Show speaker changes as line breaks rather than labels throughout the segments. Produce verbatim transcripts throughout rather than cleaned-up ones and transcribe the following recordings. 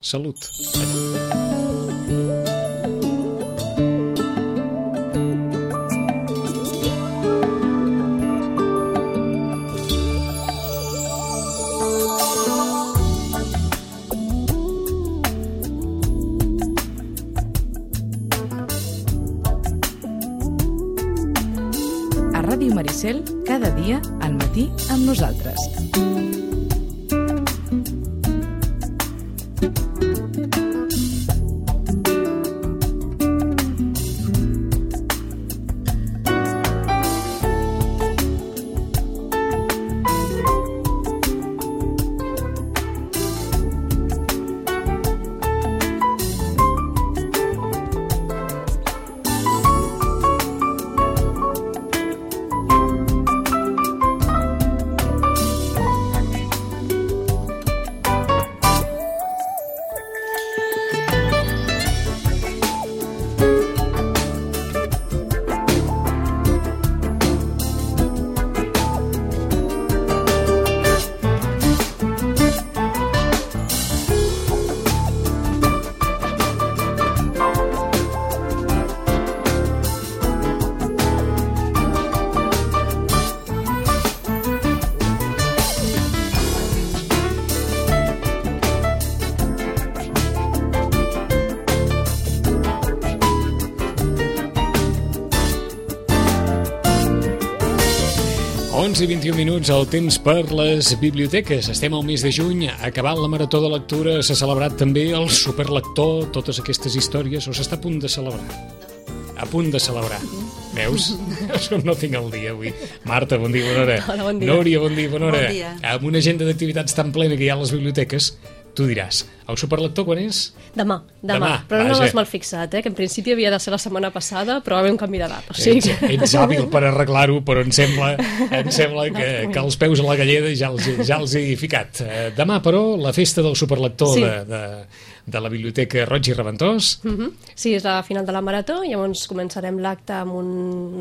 Salut.
A Ràdio Maricel, cada dia al matí amb nosaltres.
onze i vint-i-un minuts, el temps per les biblioteques. Estem al mes de juny, acabant la marató de lectura. S'ha celebrat també el superlector, totes aquestes històries, o s'està a punt de celebrar? A punt de celebrar. Veus? No tinc el dia avui. Marta, bon dia, bona hora.
Hola, bon dia.
Núria, bon dia, bona hora.
Bon dia.
Amb una agenda d'activitats tan plena que hi ha a les biblioteques, tu diràs, el superlector quan és?
Demà, demà,
Demà,
però no
vaja.
l'has mal fixat, eh? Que en principi havia de ser la setmana passada, però va haver un canvi de data. O sigui
Ets,
que...
ets hàbil per arreglar-ho, però em sembla, em sembla que, que els peus a la galleda ja els, ja els he ficat. Eh, Demà, però, la festa del superlector
Sí.
de, de, de la Biblioteca Roig i Reventós.
Uh -huh. Sí, és la final de la marató, llavors començarem l'acte amb un,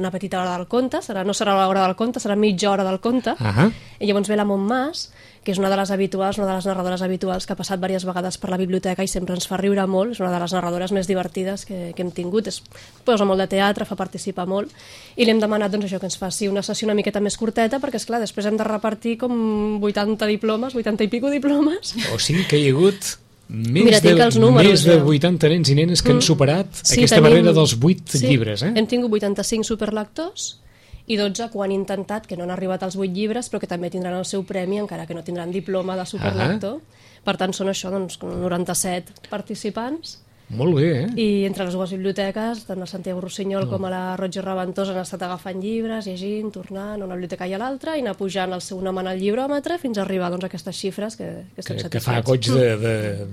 una petita hora del conte, serà, no serà l'hora del conte, serà mitja hora del conte,
Ahà.
i llavors ve la Montmàs, que és una de les habituals, una de les narradores habituals que ha passat diverses vegades per la biblioteca i sempre ens fa riure molt, és una de les narradores més divertides que, que hem tingut, es posa molt de teatre, fa participar molt, i li hem demanat doncs, això que ens faci una sessió una miqueta més curteta, perquè esclar, després hem de repartir com vuitanta diplomes, vuitanta i pico diplomes.
O sigui que hi ha hagut més,
Mira, tinc
de,
els números,
més de
ja.
vuitanta nens i nenes que han superat
Sí,
aquesta
tenim-
barrera dels vuit
sí,
llibres. Eh?
Hem tingut vuitanta-cinc superlectors i dotze que ho han intentat, que no han arribat als vuit llibres, però que també tindran el seu premi, encara que no tindran diploma de superlector. Per tant, són això, doncs, noranta-set participants.
Molt bé, eh?
I entre les dues biblioteques, tant a Santiago Rossinyol
Mm.
com a la Roig i Reventós, han estat agafant llibres, llegint, tornant a una biblioteca i a l'altra, i anar pujant el seu nom en el llibròmetre fins a arribar doncs, a aquestes xifres que, que estem
Que, que
satisfets.
fa goig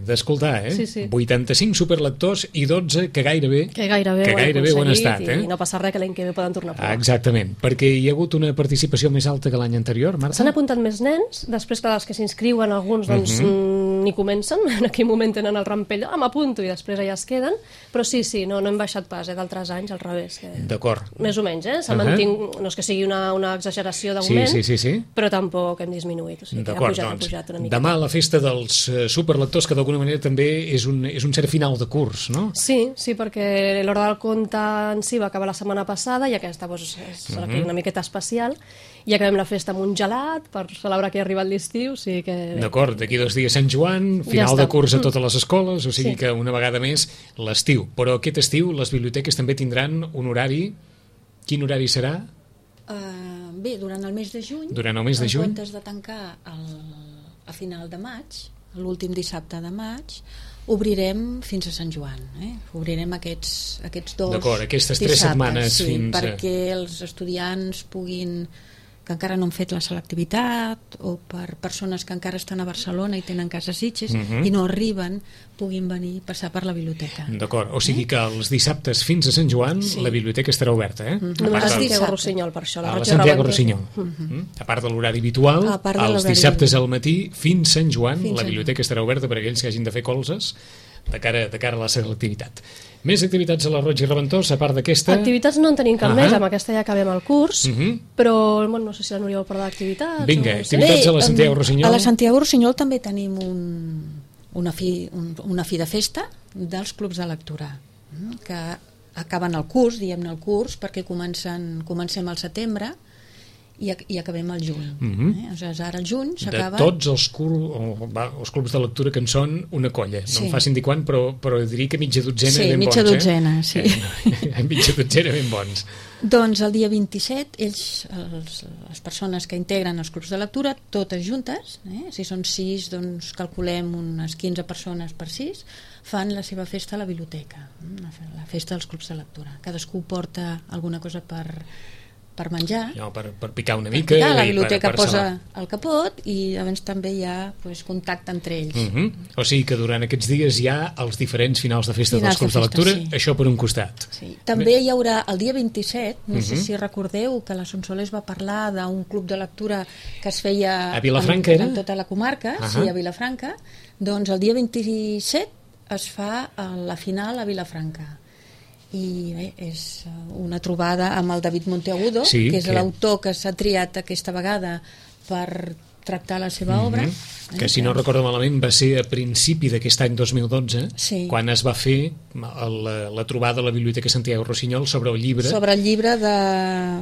d'escoltar, de, de, eh?
Sí, sí.
vuitanta-cinc superlectors i dotze que gairebé,
Que gairebé,
que
ho han
gairebé ho han
aconseguit
estat, eh?
I no passa res, que l'any que ve poden tornar a provar.
Ah, exactament, perquè hi ha hagut una participació més alta que l'any anterior, Marta?
S'han apuntat més nens, després que els que s'inscriuen, alguns doncs,
Mhm.
mm, ni comencen, en aquell moment tenen el rampell, ah, m'apunto, i després allà es queden, però sí, sí, no, no hem baixat pas, eh, d'altres anys, al revés. Que...
D'acord.
Més o menys, eh? S'ha
Uh-huh.
mantingut, no és que sigui una, una exageració
Sí,
d'augment,
sí, sí, sí.
però tampoc hem disminuït, o sigui, que ha
D'acord,
pujat,
doncs,
ha pujat una mica.
demà la festa dels eh, superlectors, que d'alguna manera també és un, és un cert final de curs, no?
Sí, sí, perquè l'hora del conte en si va acabar la setmana passada i aquesta doncs, és
Mhm.
uh-huh. una miqueta especial, i acabem la festa amb un gelat per celebrar que ha arribat l'estiu, o sigui que...
D'acord, d'aquí dos dies Sant Joan,
Ja
final
està.
de curs a totes les escoles, o sigui
Sí.
que una vegada més l'estiu. Però aquest estiu les biblioteques també tindran un horari. Quin horari serà?
Uh, bé, durant el mes de juny,
Durant el mes de
en
juny?
comptes de tancar el, a final de maig, l'últim dissabte de maig, obrirem fins a Sant Joan, eh? Obrirem aquests, aquests dos
D'acord, aquestes tres
dissabtes,
setmanes
sí,
fins a-
perquè els estudiants puguin, que encara no han fet la selectivitat, o per persones que encara estan a Barcelona i tenen casa a Sitges
Mhm.
i no arriben, puguin venir, passar per la biblioteca.
D'acord, o sigui que els dissabtes fins a Sant Joan
Sí.
la biblioteca estarà oberta, eh?
Només
A
a
part del-
Santiago
dissabte.
Rossinyol, per això. La
a la
Roig i
Santiago
Reventós.
Rossinyol. Mm. A part de l'horari habitual,
A part de
els
l'horari
dissabtes al matí fins Sant Joan
Fins
la
Sant
biblioteca estarà oberta per a aquells que hagin de fer colzes de cara, de cara a la selectivitat. Més activitats a la Roig i Reventós, a part d'aquesta?
Activitats no en tenim cap
Ahà.
més, amb aquesta ja acabem el curs,
Mhm.
però bueno, no sé si la Núria vol parlar d'activitats.
Vinga,
o...
activitats a la Santiago
em,
Rossinyol.
A la Santiago Rossinyol també tenim un, una fi, un, una fi de festa dels clubs de lectura, que acaben el curs, diguem-ne el curs, perquè comencen, comencem al setembre i, i acabem al juny.
Mm-hmm.
eh? Aleshores, ara al juny s'acaba...
De tots els, cur... oh, va, els clubs de lectura que en són una colla. No
sí.
em facin dir quan, però, però diria que mitja dotzena
sí,
ben
mitja
bons.
Dotzena,
eh?
sí.
Eh, mitja dotzena ben bons.
Doncs el dia vint-i-set, ells, els, les persones que integren els clubs de lectura, totes juntes, eh? si són sis, doncs calculem unes quinze persones per sis, fan la seva festa a la biblioteca, la festa dels clubs de lectura. Cadascú porta alguna cosa per... per menjar,
no, per, per picar una
per
mica
picar, la
i
biblioteca
per, per
posa
salar.
el capot i llavors també hi ha pues, contacte entre ells.
Mm-hmm. O sigui que durant aquests dies hi ha els diferents finals de festa
finals
dels clubs de,
de festa,
lectura,
sí.
això per un costat.
Sí. També hi haurà el dia vint-i-set, no sé
Mm-hmm.
si recordeu que la Sonsoles va parlar d'un club de lectura que es feia
a Vilafranca,
en,
era?
en tota la comarca,
uh-huh.
sí, a Vilafranca, doncs el dia vint-i-set es fa la final a Vilafranca. I bé, és una trobada amb el David Monteagudo,
sí,
que és
que...
l'autor que s'ha triat aquesta vegada per tractar la seva obra.
Mm-hmm. Que si no recordo malament va ser a principi d'aquest any dos mil dotze,
sí.
quan es va fer la, la trobada a la Biblioteca Santiago Rossinyol sobre el llibre.
Sobre el llibre de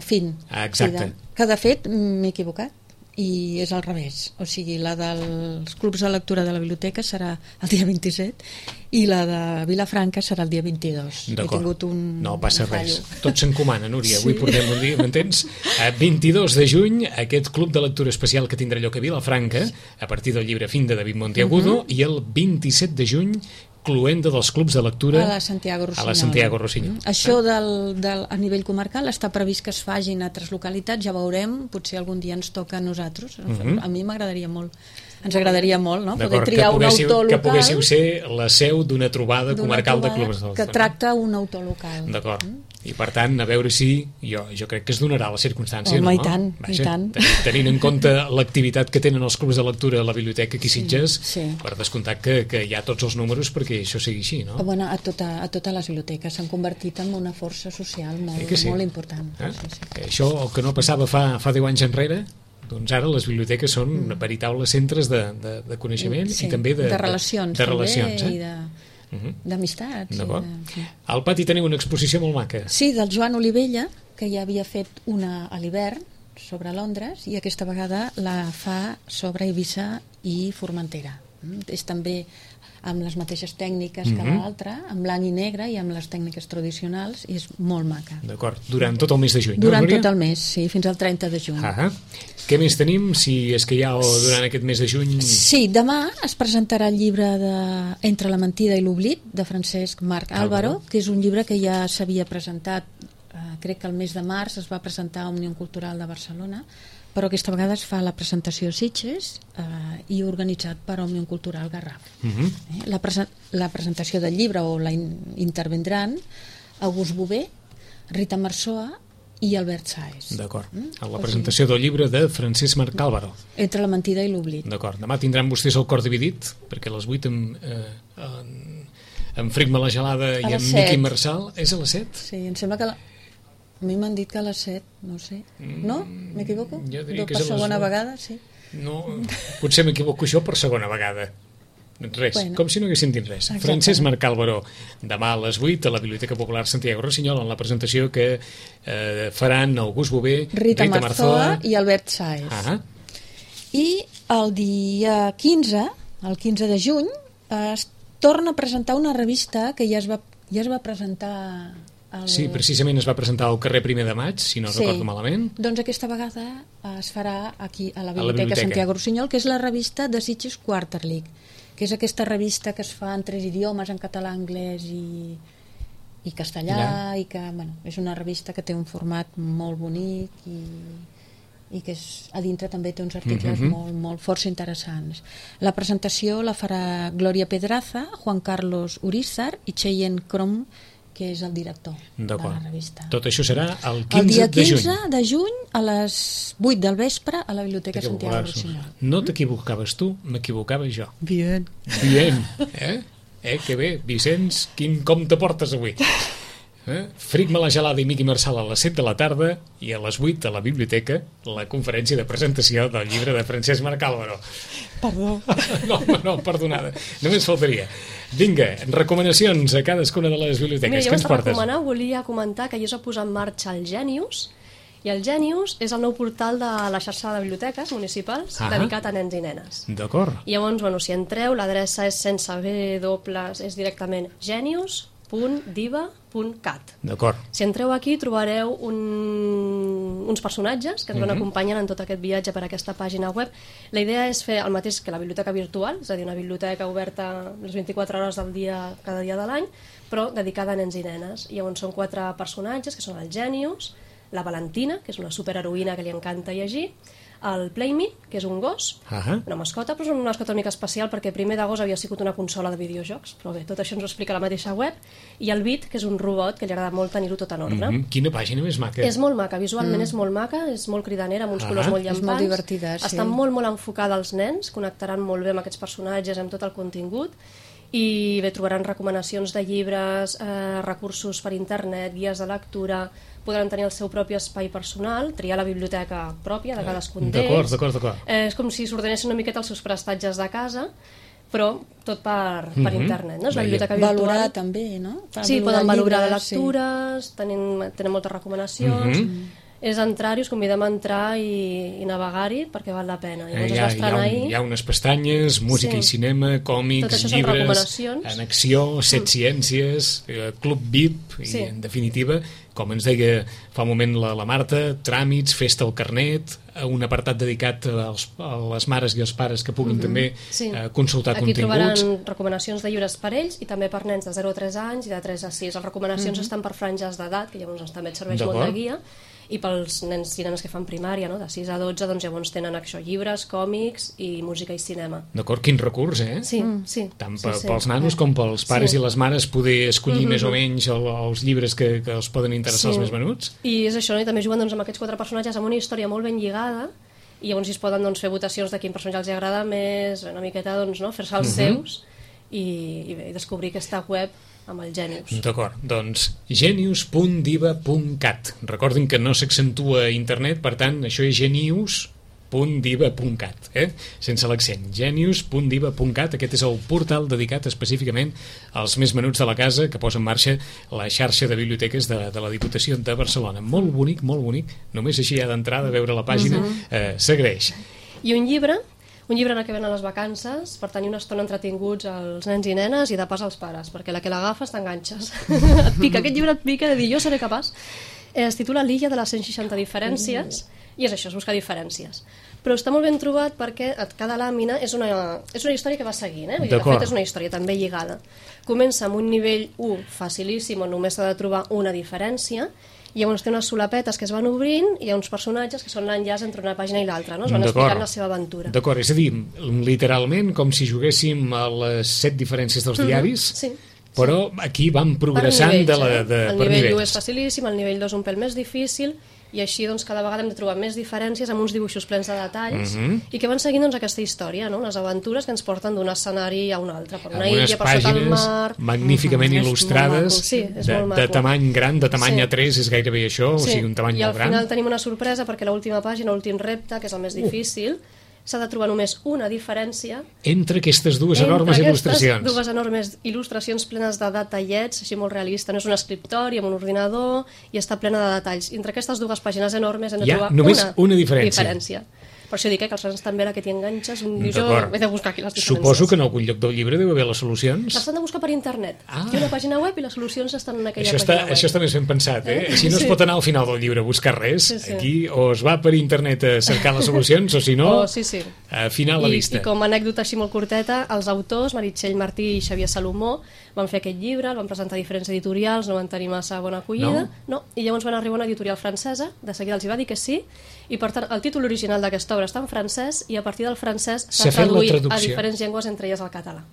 Fin.
Ah, exacte.
Sí, de... Que de fet m'he equivocat i és al revés, o sigui la dels clubs de lectura de la biblioteca serà el dia vint-i-set i la de Vilafranca serà el dia vint-i-dos. He tingut un
no passa
un
res, tot s'encomana, Núria,
sí.
avui portem un dia, m'entens? A vint-i-dos de juny aquest club de lectura especial que tindrà lloc a Vilafranca a partir del llibre Fin de David Monteagudo, uh-huh. i el vint-i-set de juny cluenda dels clubs de lectura
a la Santiago Rossinyol.
A la Santiago Rossinyol.
Mm. Això del, del, a nivell comarcal està previst que es fagin a altres localitats, ja veurem, potser algun dia ens toca a nosaltres. Uh-huh. A mi m'agradaria molt. Ens agradaria molt, no? Poder triar un autor local.
Que poguéssiu ser la seu d'una trobada comarcal
trobada
de clubs de lectura.
Que tracta un autor local.
D'acord.
Mm.
I per tant, a veure si jo, jo crec que es donarà la circumstància.
Home,
no?
i tant,
Vaja,
i tant.
Tenint en compte l'activitat que tenen els clubs de lectura a la biblioteca aquí a Sitges,
sí, sí.
per descomptat que, que hi ha tots els números perquè això sigui així, no?
Bueno, a, tota, a totes les biblioteques s'han convertit en una força social molt,
sí.
molt important.
Eh?
Sí, sí.
Això, el que no passava fa, fa deu anys enrere, doncs ara les biblioteques són mm. veritables centres de, de, de coneixement
sí,
i també de,
de relacions,
de, de relacions
també,
eh?
i de, uh-huh. d'amistats.
D'acord.
De, sí.
Al pati teniu una exposició molt maca.
Sí, del Joan Olivella, que ja havia fet una a l'hivern sobre Londres i aquesta vegada la fa sobre Eivissa i Formentera. Mm? És també amb les mateixes tècniques mm-hmm. que l'altra, en blanc i negre i amb les tècniques tradicionals, i és molt maca.
D'acord, durant tot el mes de juny,
durant
no, Núria?
Tot el mes, sí, fins al trenta de juny.
Ah, què més tenim, si és que hi ha o durant aquest mes de juny?
Sí, demà es presentarà el llibre de Entre la mentida i l'oblit, de Francesc Marc Álvaro, que és un llibre que ja s'havia presentat, eh, crec que el mes de març es va presentar a Òmnium Cultural de Barcelona, però aquesta vegada es fa la presentació a Sitges eh, i organitzat per Òmnium Cultural Garraf. Uh-huh. eh, la, presen la presentació del llibre o la in intervendran August Bové, Rita Marzoa i Albert Sáez.
D'acord. Mm? A la presentació del llibre de Francesc Marc Álvaro.
Entre la mentida i l'oblit.
D'acord. Demà tindran vostès el cor dividit, perquè a les vuit amb, eh, en, en Frigma la gelada i amb Miqui Marçal. És a les set?
Sí, em sembla que la... a mi m'han dit que a les set, no sé. No? M'equivoco?
Jo diria que
per
és a les
segona
set.
vegada, sí.
No, potser m'equivoco jo per segona vegada. Res, bueno, com si no haguéssim dit res. Exacte. Francesc Marc Álvaro, demà a les vuit a la Biblioteca Popular Santiago Rossinyol en la presentació que eh, faran August Bové,
Rita,
Rita
Marzoa i Albert Sáez.
Ah.
I el dia quinze, el quinze de juny, es torna a presentar una revista que ja es va, ja es va presentar... El...
Sí, precisament es va presentar al carrer Primer de Maig, si no
sí.
recordo malament.
Doncs aquesta vegada es farà aquí a la Biblioteca,
a la Biblioteca
Santiago Rossinyol, que és la revista de Sitges Quarterly, que és aquesta revista que es fa en tres idiomes, en català, anglès i, i castellà, ja. i que bueno, és una revista que té un format molt bonic i, i que és, a dintre també té uns articles mm-hmm. molt, molt força interessants. La presentació la farà Glòria Pedraza, Juan Carlos Urízar i Cheyenne Crom, que és el director de la revista.
Tot això serà el quinze de juny.
El dia quinze de juny a les vuit del vespre a la Biblioteca Santiago Rossinyol.
No t'equivocaves tu, m'equivocava jo.
Bien.
Bien, eh? Eh, que bé, Vicenç, quin compte portes avui? Eh? Fric la gelada i Miqui Marçal a les set de la tarda i a les vuit a la biblioteca la conferència de presentació del llibre de Francesc Marc Álvaro.
Perdó.
No, no, perdonada, només faltaria. Vinga, recomanacions a cadascuna de les biblioteques.
Mira,
Què
jo
ens
abans de
portes?
recomanar volia comentar que ahir es va posar en marxa el Genius, i el Genius és el nou portal de la xarxa de biblioteques municipals
Ah.
dedicat a nens i nenes.
D'acord.
I llavors, bueno, si entreu, l'adreça és sense B, dobles, és directament genius punt diva punt cat.
D'acord.
Si entreu aquí trobareu un, uns personatges que ens van
Mhm.
acompanyen en tot aquest viatge per aquesta pàgina web. La idea és fer el mateix que la biblioteca virtual, és a dir, una biblioteca oberta les vint-i-quatre hores del dia, cada dia de l'any, però dedicada a nens i nenes. I llavors són quatre personatges, que són el Genius, la Valentina, que és una superheroïna que li encanta llegir, el Playme, que és un gos,
Ah.
una mascota, però és una mascota una mica especial perquè primer de gos havia sigut una consola de videojocs, però bé, tot això ens ho explica la mateixa web, i el Bit, que és un robot que li agrada molt tenir-ho tot en ordre.
Mhm. Quina pàgina més maca.
És molt maca, visualment mm. és molt maca, és molt cridanera, amb uns
Ah.
colors molt
És
llampants.
molt divertida, sí.
Està molt, molt enfocada als nens, connectaran molt bé amb aquests personatges, amb tot el contingut, i bé, trobaran recomanacions de llibres, eh, recursos per internet, guies de lectura, podran tenir el seu propi espai personal, triar la biblioteca pròpia de cadascun d'ells.
D'acord, d'acord, d'acord.
Eh, és com si s'ordenessin una miqueta els seus prestatges de casa, però tot per, per
Mhm.
internet, no? És la
Veia.
biblioteca virtual.
Valorar també, no? Per
Sí, poden valorar
llibres, sí.
lectures, tenen, tenen moltes recomanacions,
Mhm.
és entrar-hi, us convidem a entrar i, i navegar-hi perquè val la pena.
Eh,
Llavors
hi,
es
ha,
va
hi, ha
estrenar
un,
ahir.
hi ha unes pestanyes, música
Sí.
i cinema,
Tot
còmics,
això són
llibres,
recomanacions.
en acció, set ciències, eh, club V I P,
Sí.
i en definitiva, com ens deia fa un moment la, la Marta, tràmits, festa al carnet, eh, un apartat dedicat als, a les mares i els pares que puguin també
Sí.
eh, consultar
Aquí
continguts.
trobaran recomanacions de llibres per ells i també per nens de zero a tres anys i de tres a sis. Les recomanacions estan per franges d'edat, que llavors també et serveix molt de
D'acord.
guia, i pels nens i nenes que fan primària, no? De sis a dotze, doncs llavors tenen això, llibres, còmics i música i cinema.
D'acord, quin recurs, eh?
Sí, sí.
Tant
sí,
pe-
sí.
pels nanos com pels pares
Sí.
i les mares poder escollir
Mhm.
més o menys el, els llibres que, que els poden interessar
Sí.
als més menuts.
I és això, no? I també juguen doncs, amb aquests quatre personatges amb una història molt ben lligada, i llavors es poden doncs, fer votacions de quin personatge els agrada més, una miqueta doncs, no? fer-se els
Mhm.
seus i, i, bé, i descobrir aquesta web amb el Genius.
D'acord, doncs genius punt diva punt cat. Recordin que no s'accentua a internet, per tant, això és genius punt diva punt cat, eh? Sense l'accent. genius punt diva punt cat, aquest és el portal dedicat específicament als més menuts de la casa que posa en marxa la xarxa de biblioteques de, de la Diputació de Barcelona. Molt bonic, molt bonic. Només així ja d'entrada, veure la pàgina, eh, s'agraeix.
I un llibre, un llibre en el que venen les vacances per tenir una estona entretinguts als nens i nenes i de pas als pares, perquè la que l'agafes t'enganxes. Et pica, aquest llibre et pica de dir jo seré capaç. Eh, Es titula L'illa de les cent seixanta diferències, i és això, és buscar diferències. Però està molt ben trobat perquè a cada làmina és una, és una història que va seguint, eh? Vull dir, de
D'acord.
fet és una història també lligada. Comença amb un nivell u facilíssim on només s'ha de trobar una diferència, i llavors té unes solapetes que es van obrint i hi ha uns personatges que són l'enllaç entre una pàgina i l'altra, no? Es van
D'acord.
explicant la seva aventura.
D'acord, és a dir, literalment com si juguéssim a les set diferències dels diaris,
Sí.
però aquí van progressant
Per nivells,
de la,
eh?
de,
el
per
nivell u
nivells.
és facilíssim, el nivell dos un pèl més difícil, i així doncs, cada vegada hem de trobar més diferències amb uns dibuixos plens de detalls
Mhm.
i que van seguint doncs, aquesta història, no? Les aventures que ens porten d'un escenari a un altre, per una
Amb unes
illa, per sota el
pàgines
mar.
magníficament
Mhm. És
il·lustrades,
molt maco. Sí, és
de,
molt
de
maco.
tamany gran, de tamany
Sí.
A tres és gairebé això, o
Sí,
sigui, un tamany
i al
molt gran.
final tenim una sorpresa perquè l'última pàgina, l'últim repte, que és el més difícil, s'ha de trobar només una diferència
Entre aquestes dues
entre
enormes
aquestes
il·lustracions.
dues enormes il·lustracions plenes de detallets, així molt realista. No és un escriptori amb un ordinador i està plena de detalls. Entre aquestes dues pàgines enormes hem de
Hi ha
trobar
només
una,
una diferència.
diferència. Per això dic eh, que els nens també la que t'hi enganxes, dius, jo
D'acord.
he de buscar aquí les diferències.
Suposo que en algun lloc del llibre deu haver les
Les
solucions.
han de buscar per internet.
Ah.
Hi ha una pàgina web i les solucions estan en aquella
Això està,
pàgina web.
això està més ben pensat, eh? Així no es
Sí.
pot anar al final del llibre a buscar res.
Sí, sí.
Aquí o es va per internet a cercar les solucions, o si no,
Oh, sí, sí.
a final la
I,
vista.
I com a anècdota així molt curteta, els autors, Meritxell Martí i Xavier Salomó, van fer aquest llibre, el van presentar a diferents editorials, no van tenir massa bona acollida, no? I llavors van arribar a una editorial francesa, de seguida els hi va dir que sí, i per tant el títol original d'aquesta obra està en francès i a partir del francès
S'ha
s'ha
fet la
traduït a
traducció.
diferents llengües, entre elles el català.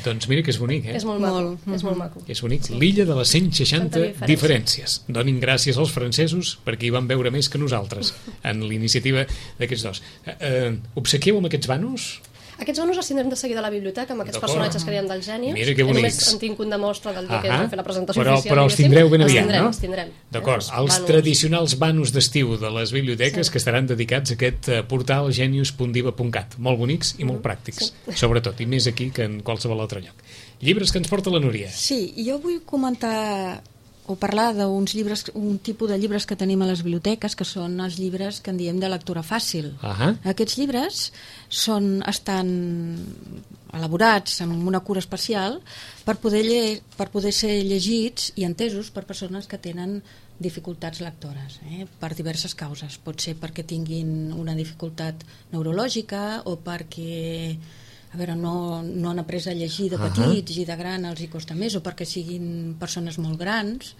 Doncs mira que és bonic, eh?
És molt maco,
Molt.
és molt maco.
És bonic. L'illa de les cent seixanta
diferències.
diferències. Donin gràcies als francesos perquè hi van veure més que nosaltres en l'iniciativa d'aquests dos. Eh, eh, obsequieu amb aquests vanos?
Aquests menús els tindrem de seguida a la biblioteca, amb aquests
D'acord.
personatges que dèiem del Gènius.
Mira que bonics.
Només en tinc un de mostra del dia
Ahà.
que vam fer la presentació
Però,
oficial.
però els
diguéssim.
tindreu ben
Els
aviat,
tindrem,
no?
Els tindrem.
D'acord,
Eh?
els
Vanos.
tradicionals vanos d'estiu de les biblioteques
Sí.
que estaran dedicats a aquest eh, portal genius punt diva punt cat. Molt bonics i molt pràctics, sobretot, i més aquí que en qualsevol altre lloc. Llibres que ens porta la Núria.
Sí, jo vull comentar o parlar d'uns llibres, un tipus de llibres que tenim a les biblioteques, que són els llibres que en diem de lectura fàcil.
Ahà.
Aquests llibres són, estan elaborats amb una cura especial per poder, lle, per poder ser llegits i entesos per persones que tenen dificultats lectores, eh? Per diverses causes. Pot ser perquè tinguin una dificultat neurològica o perquè a veure, no, no han après a llegir de petits uh-huh. i de gran els hi costa més, o perquè siguin persones molt grans,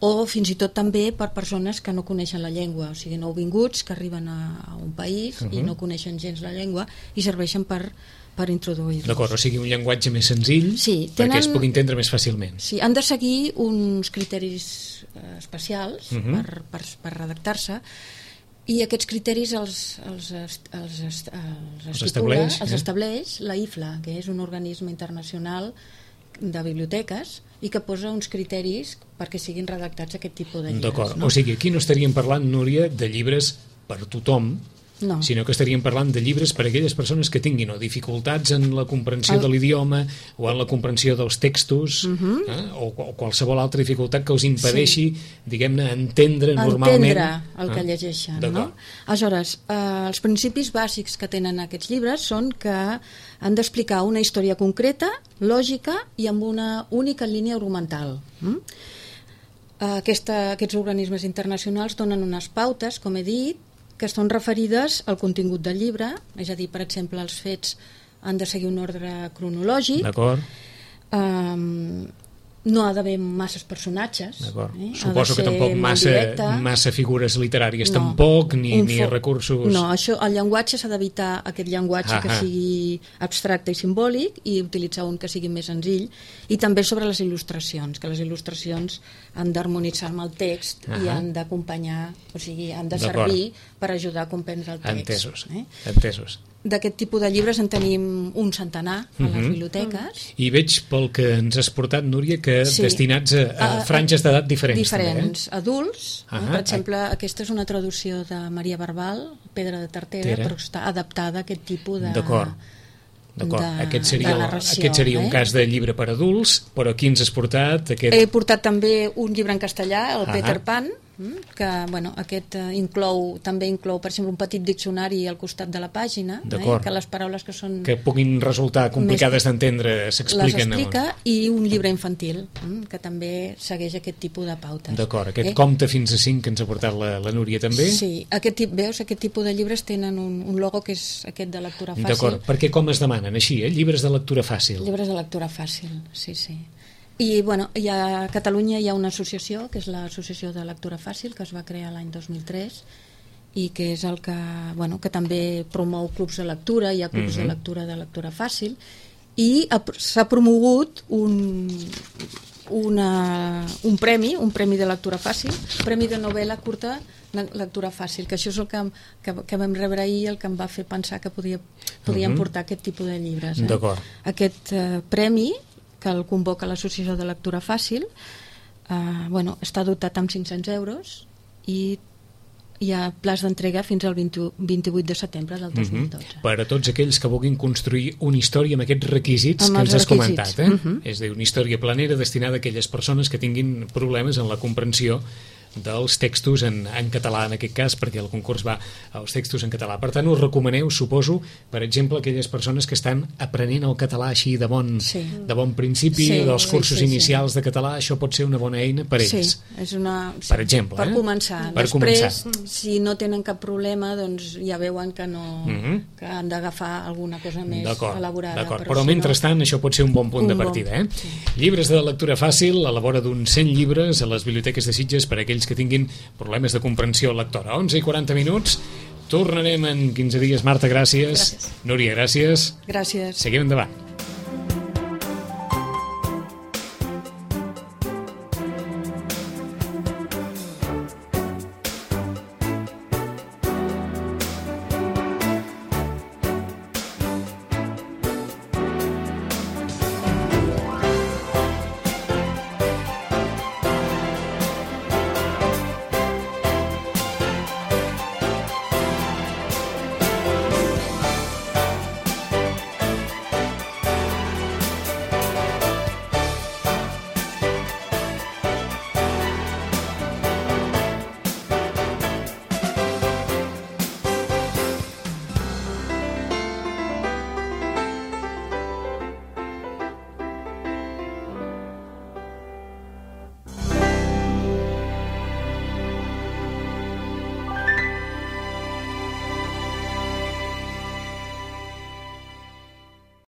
o fins i tot també per persones que no coneixen la llengua, o sigui, nouvinguts que arriben a, a un país uh-huh. i no coneixen gens la llengua i serveixen per, per introduir-los.
D'acord, o sigui, un llenguatge més senzill
sí,
tenen... perquè es pugui entendre més fàcilment.
Sí, han de seguir uns criteris eh, especials uh-huh. per, per, per redactar-se, i aquests criteris els, els, els, els, els, els,
estableix,
els
eh?
estableix la I F L A, que és un organisme internacional de biblioteques i que posa uns criteris perquè siguin redactats aquest tipus de llibres.
D'acord,
no?
o sigui, aquí no estaríem parlant, Núria, de llibres per tothom,
no.
sinó que estaríem parlant de llibres per a aquelles persones que tinguin o dificultats en la comprensió
El...
de l'idioma o en la comprensió dels textos
uh-huh.
eh? o, o qualsevol altra dificultat que us impedeixi, sí. diguem-ne, entendre normalment
entendre el que
eh?
llegeixen, no? Aleshores, eh, els principis bàsics que tenen aquests llibres són que han d'explicar una història concreta, lògica i amb una única línia argumental. Mm? Aquesta, aquests organismes internacionals donen unes pautes, com he dit, que estan referides al contingut del llibre, és a dir, per exemple, els fets han de seguir un ordre cronològic.
D'acord.
Um, no ha d'haver masses personatges.
Eh? Suposo que tampoc massa, massa figures literàries,
no.
tampoc, ni, ni recursos...
No, això, el llenguatge s'ha d'evitar aquest llenguatge ah, que sigui abstracte i simbòlic i utilitzar un que sigui més senzill, i també sobre les il·lustracions, que les il·lustracions han d'harmonitzar amb el text ah, i han d'acompanyar, o sigui, han de servir per ajudar a comprendre el text.
Entesos,
eh?
entesos.
D'aquest tipus de llibres en tenim un centenar a les uh-huh. biblioteques.
I veig pel que ens has portat, Núria, que sí. destinats a, a franges d'edat diferents.
Diferents.
També, eh?
Adults. Uh-huh. Per exemple, aquesta és una traducció de Maria Barbal, Pedra de Tartera, Tera. Però està adaptada a aquest tipus de...
D'acord. D'acord.
De,
aquest seria,
de narració,
aquest seria un
eh?
cas de llibre per adults, però aquí ens has portat... Aquest...
He portat també un llibre en castellà, el
uh-huh.
Peter Pan, que bueno, aquest uh, inclou també inclou, per exemple, un petit diccionari al costat de la pàgina, eh, que les paraules que són...
que puguin resultar complicades d'entendre s'expliquen.
Les explica, i un llibre infantil, eh, que també segueix aquest tipus de pautes.
D'acord, aquest
eh?
compte fins a cinc que ens ha portat la, la Núria també.
Sí, aquest tip, veus, aquest tipus de llibres tenen un, un logo que és aquest de lectura fàcil.
D'acord, perquè com es demanen així, eh? Llibres de lectura fàcil.
Llibres de lectura fàcil, sí, sí. I bueno, hi ha, a Catalunya hi ha una associació, que és l'Associació de Lectura Fàcil, que es va crear l'any dos mil tres, i que és el que, bueno, que també promou clubs de lectura, hi ha clubs uh-huh. de lectura de lectura fàcil, i s'ha promogut un, una, un premi, un premi de lectura fàcil, premi de novel·la curta lectura fàcil, que això és el que, que, que vam rebre ahir, el que em va fer pensar que podia, podíem uh-huh. portar aquest tipus de llibres. Eh?
D'acord.
Aquest eh, premi, que el convoca l'Associació de Lectura Fàcil, eh, bueno, està dotat amb cinc-cents euros i hi ha plaç d'entrega fins al vint-i-vuit de setembre del dos mil dotze.
Uh-huh. Per a tots aquells que vulguin construir una història amb aquests requisits
amb
que ens has
requisits.
comentat. Eh?
Uh-huh.
És a dir, una història planera destinada a aquelles persones que tinguin problemes en la comprensió dels textos en, en català, en aquest cas, perquè el concurs va als textos en català. Per tant, us recomaneu, suposo, per exemple, aquelles persones que estan aprenent el català així de bon,
sí.
de bon principi,
sí,
dels cursos
sí, sí,
inicials
sí.
de català, això pot ser una bona eina per ells.
Sí, és una... Sí,
per exemple.
Per
eh?
començar.
Per
Després,
començar.
si no tenen cap problema, doncs ja veuen que no uh-huh. que han d'agafar alguna cosa més elaborada.
D'acord,
però,
però
si
mentrestant
no...
això pot ser un bon punt
un
de partida.
Bon,
Eh?
sí.
Llibres de lectura fàcil a la vora d'uns cent llibres a les biblioteques de Sitges per a aquells que tinguin problemes de comprensió lectora. onze i quaranta minuts. Tornarem en quinze dies. Marta, gràcies.
Gràcies.
Núria, gràcies.
Gràcies.
Seguim endavant.